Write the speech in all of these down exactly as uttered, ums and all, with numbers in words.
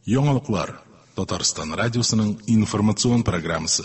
Яңалыклар Татарстан радиосының информацион программасы.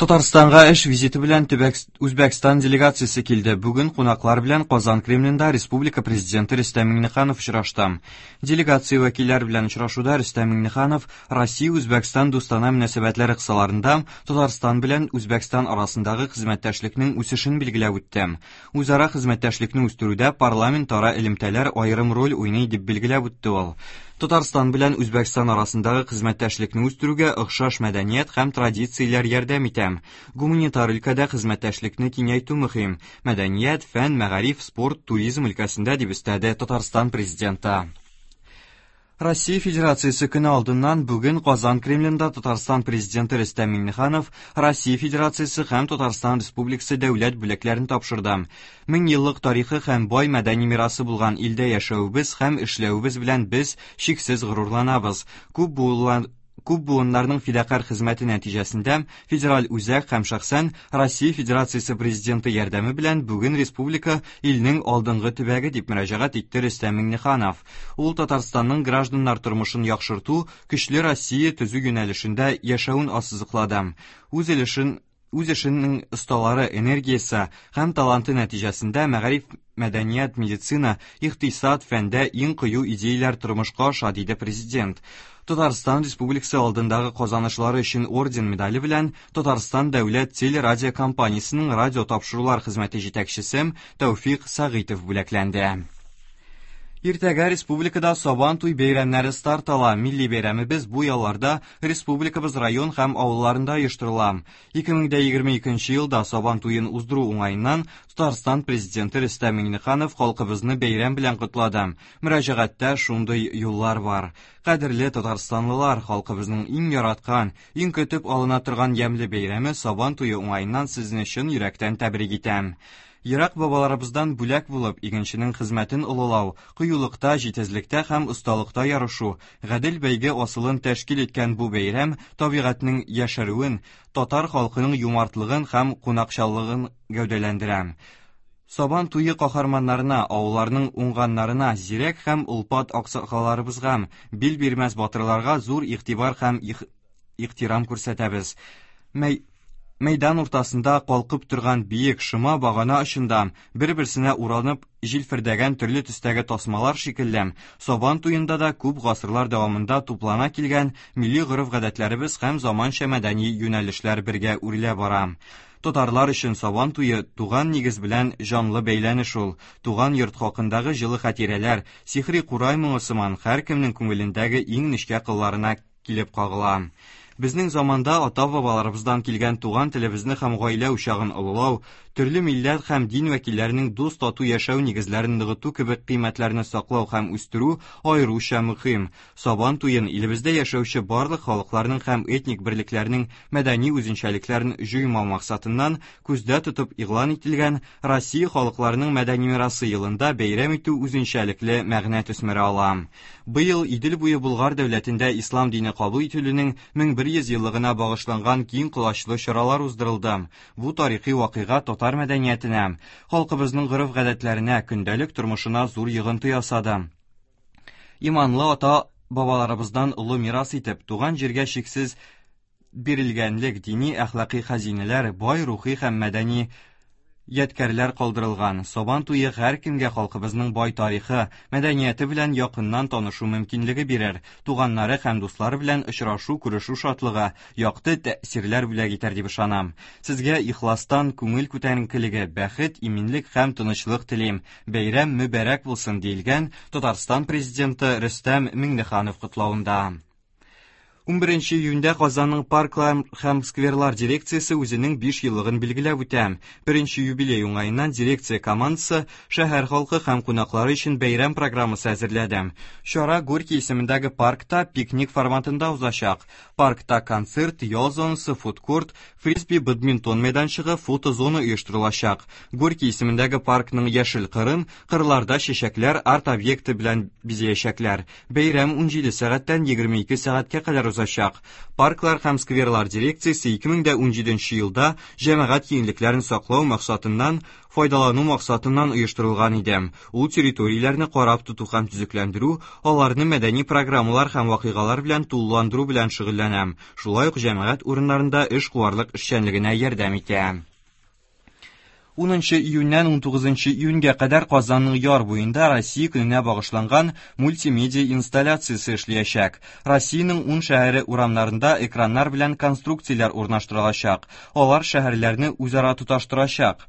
Татарстанга эш визиты белән төбәк Үзбәкстан делегациясе килде. Бүген кунаклар белән Казан Кремлендә Республика президенты Рөстәм Миңнеханов очрашты. Делегация вәкилләре белән очрашуда Рөстәм Миңнеханов Россия-Үзбәкстан дустана мөнәсәбәтләре кысаларында Татарстан белән Үзбәкстан арасындагы хезмәттәшлекнең үсешен билгеләп үтте. Үзара хезмәттәшлекне үстерүдә парламентара элемтәләр аерым роль уйный дип билгеләп үтте ул. Татарстан белән Үзбәкстан арасындагы хезмәттәшлекне үстерүгә охшаш мәдәният һәм традицияләр ярдәм итә. Гуманитар өлкәдә хезмәттәшлекне киңәйтү мөһим. Мәдәният, фән, мәгариф, спорт, туризм өлкәсендә дип өстәде Татарстан президенты. Россия Федерациясе көне алдыннан бүген Казан Кремлендә Татарстан президенты Рөстәм Миңнеханов Россия Федерациясе һәм Татарстан Республикасы дәүләт бүләкләрен тапшырды. Мең еллык тарихы һәм бай мәдәни мирасы булган илдә яшәвебез һәм эшләвебез белән без чиксез горурланабыз. Күп буынлар Күп буыннарның фидакарь хезмәте нәтиҗәсендә федераль үзәк һәм шәхсән Россия Федерациясе президенты ярдәме белән бүген республика илнең алдынгы төбәге дип мөрәҗәгать итте Рөстәм Миңнеханов. Ул Татарстанның гражданнар тормышын яхшырту, көчле Россия төзү юнәлешендә яшәвен ассызыклады. Үз өлешен үз эшенең осталары, энергиясе һәм таланты нәтиҗәсендә мәгариф, мәдәният, медицина, икътисад, фәндә иң кыю идеяләр тормышка аша, диде президент. Татарстан Республикасы алдындагы казанышлары өчен орден медале белән Татарстан дәүләт телерадиокомпаниясенең радио тапшырулар хезмәте җитәкчесе Тәүфик Сәгыйтов бүләкләнде. Иртәгә республикада Сабан туй бәйрәмнәре старт ала. Милли бәйрәмебез бу ялларда республикабыз район һәм авылларында оештырыла. ике мең егерме икенче елда Сабан туен уздыру уңаеннан Татарстан президенты Рөстәм Миңнеханов халкыбызны бәйрәм белән котлады. Мөрәҗәгатьтә шундый юллар бар. Кадерле татарстанлылар, халкыбызның иң яраткан, иң көтеп алына торган ямьле бәйрәме Сабан туе уңаеннан сезне чын йөрәктән тәбрик итәм. Ерак бабаларыбыздан бүләк булып, игенченең хезмәтен олылау, кыюлыкта, җитезлектә һәм осталыкта ярышу, гадел бәйге асылын тәшкил иткән бу бәйрәм табигатьнең яшәрүен, татар халкының юмартлыгын һәм кунакчаллыгын гәүдәләндерә. Сабан туе каһарманнарына, авылларның уңганнарына, зирәк һәм олпат аксакалларыбызга, бил бирмәс батырларга зур игътибар һәм ихтирам күрсәтәбез. Мәй Мәйдан уртасында калкып торган биек шома багана очында бер-берсенә уранып җилфердәгән төрле төстәге тасмалар шикелле Сабан туенда да күп гасырлар дәвамында туплана килгән милли гореф-гадәтләребез һәм заманча мәдәни юнәлешләр бергә үрелә бара. Татарлар өчен Сабан туе туган нигез белән җанлы бәйләнеш ул. Туган йорт хакындагы җылы хатирәләр, сихри курай моңы сыман һәркемнең күңелендәге иң нечкә кылларына килеп кагыла. Безнең заманда ата-бабаларыбыздан килгән туган телебезне һәм гаилә учагын олылау, төрле милләт һәм дин вәкилләренең дус-тату яшәү нигезләрен ныгыту кебек кыйммәтләрне саклау һәм үстерү аеруча мөһим. Сабан туен илебездә яшәүче барлык халыкларның һәм этник берлекләрнең мәдәни үзенчәлекләрен җуймау максатыннан күздә тотып игълан ителгән Россия халыкларының мәдәни мирасы елында бәйрәм итү үзенчәлекле мәгънә төсмере ала. Быел Идел буе Болгар дәүләтендә ислам дине кабул ителүнең мең бер йөз еллыгына багышланган киң колачлы чаралар уздырылды. Бу тарихи вакыйга татар мәдәниятенә, халкыбызның гореф-гадәтләренә, көндәлек тормышына зур йогынты ясады. Иманлы ата-бабаларыбыздан олы мирас итеп, туган җиргә чиксез бирелгәнлек, дини әхлакый хәзинәләр, бай рухи һәм мәдәни ядкәрләр калдырылган. Сабан туе һәркемгә халкыбызның бай тарихы, мәдәнияте белән якыннан танышу мөмкинлеге бирер, туганнары һәм дуслары белән очрашу, күрешү шатлыгы, якты тәэсирләр бүләк итәр дип ышанам. Сезгә ихластан күңел күтәренкелеге, бәхет, иминлек һәм тынычлык телим. Бәйрәм мөбарәк булсын, диелгән Татарстан президенты Рөстәм Миңнеханов котлавында. Унберенче июньдә Казанның парклар һәм скверлар дирекциясе үзенең биш еллыгын билгеләп үтә. Беренче юбилей уңаеннан дирекция командасы шәһәр халкы һәм кунаклары өчен бәйрәм программасы әзерләде. Чара Горький исемендәге паркта пикник форматында узачак. Паркта концерт, ял зонасы, фудкорт, фрисби, бадминтон мәйданчыгы, фотозона оештырылачак. Горький исемендәге паркның яшел кырын кырларда чәчәкләр арт-объекты белән бизәячәкләр. Бәйрәм унҗиде сәгатьтән егерме ике сәгатькә кадәр узачак. узачак. Парклар һәм скверлар дирекциясе ике мең дә унҗиденче елда җәмәгать киңлекләрен саклау максатыннан файдалану максатыннан оештырылган иде. Ул территорияләрне карап тоту һәм төзекләндерү, аларны мәдәни программалар һәм вакыйгалар белән тулыландыру белән шөгыльләнә. Шулай ук җәмәгать урыннарында эшкуарлык эшчәнлегенә ярдәм итә. Унынчы июньнән унтугызынчы июньгә кадәр Казанның яр буенда Россия көненә багышланган мультимедиа инсталляциясе эшләячәк. Россиянең ун шәһәре урамнарында экраннар белән конструкцияләр урнаштырылачак. Алар шәһәрләрне үзара тоташтырачак.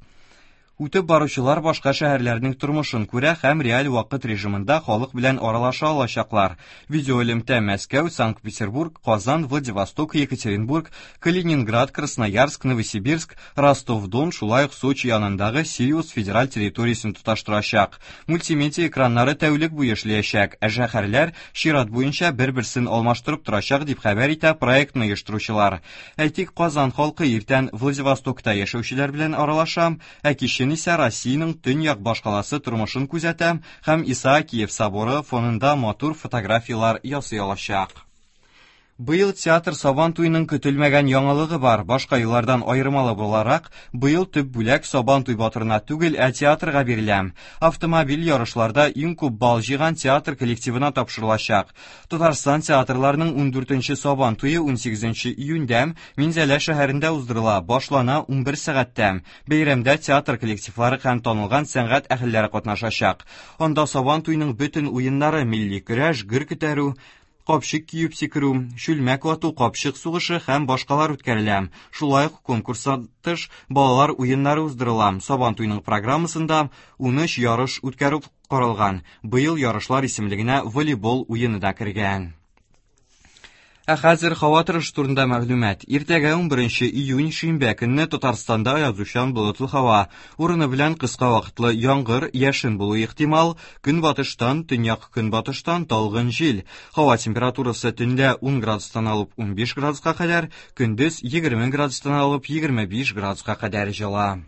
Үтеп баручылар башка шәһәрләрнең тормышын күрә һәм реаль вакыт режимында халык белән аралаша алачаклар. Видеоэлемтә Мәскәү, Санкт-Петербург, Казан, Владивосток, Екатеринбург, Калининград, Красноярск, Новосибирск, Ростов-Дон, шулай ук Сочи янындагы Сириус федераль территориясен тоташтырачак. Мультимедиа экраннары тәүлек буе эшләячәк, ә шәһәрләр чират буенча бер-берсен алмаштырып торачак дип хәбәр итә проектны оештыручылар. Әйтик, Казан халкы иртән Владивостокта яшәүчеләр белән аралаша, ә кичен исә Россиянең төньяк башкаласы тормышын күзәтә һәм Исаакиев соборы фонында матур фотографиялар ясый алачак. Быел театр Сабан туеның көтелмәгән яңалыгы бар. Башка еллардан аермалы буларак, быел төп бүләк Сабан туй батырына түгел, ә театрга бирелә. Автомобиль ярышларда иң күп балл җыйган театр коллективына тапшырылачак. Татарстан театрларының ундүртенче Сабан туе унсигезенче июньдә Минзәлә шәһәрендә уздырыла. Башлана унбер сәгатьтә. Бәйрәмдә театр коллективлары һәм танылган сәнгать әһелләре катнашачак. Анда Сабан туеның бөтен уеннары милли көрәш, гөр күтәрү, капчык киеп сикерү, чүлмәк вату, капчык сугышы һәм башкалар үткәрелә. Шулай ук конкурстан тыш балалар уеннары уздырыла. Сабан туеның программасында унөч ярыш үткәрү каралган. Быел ярышлар исемлегенә волейбол уены да кергән. Ә хәзер һава торышы турында мәгълүмат. Иртәгә унберенче июнь шимбә көнне Татарстанда язучан болытлы һава. Урыны белән кыска вакытлы яңгыр, яшен булуы ихтимал. Көнбатыштан, төньяк көнбатыштан талгын җил. Һава температурасы төнлә ун градустан алып унбиш градуска кадәр, көндез егерме градустан алып егерме биш градуска кадәр җылы.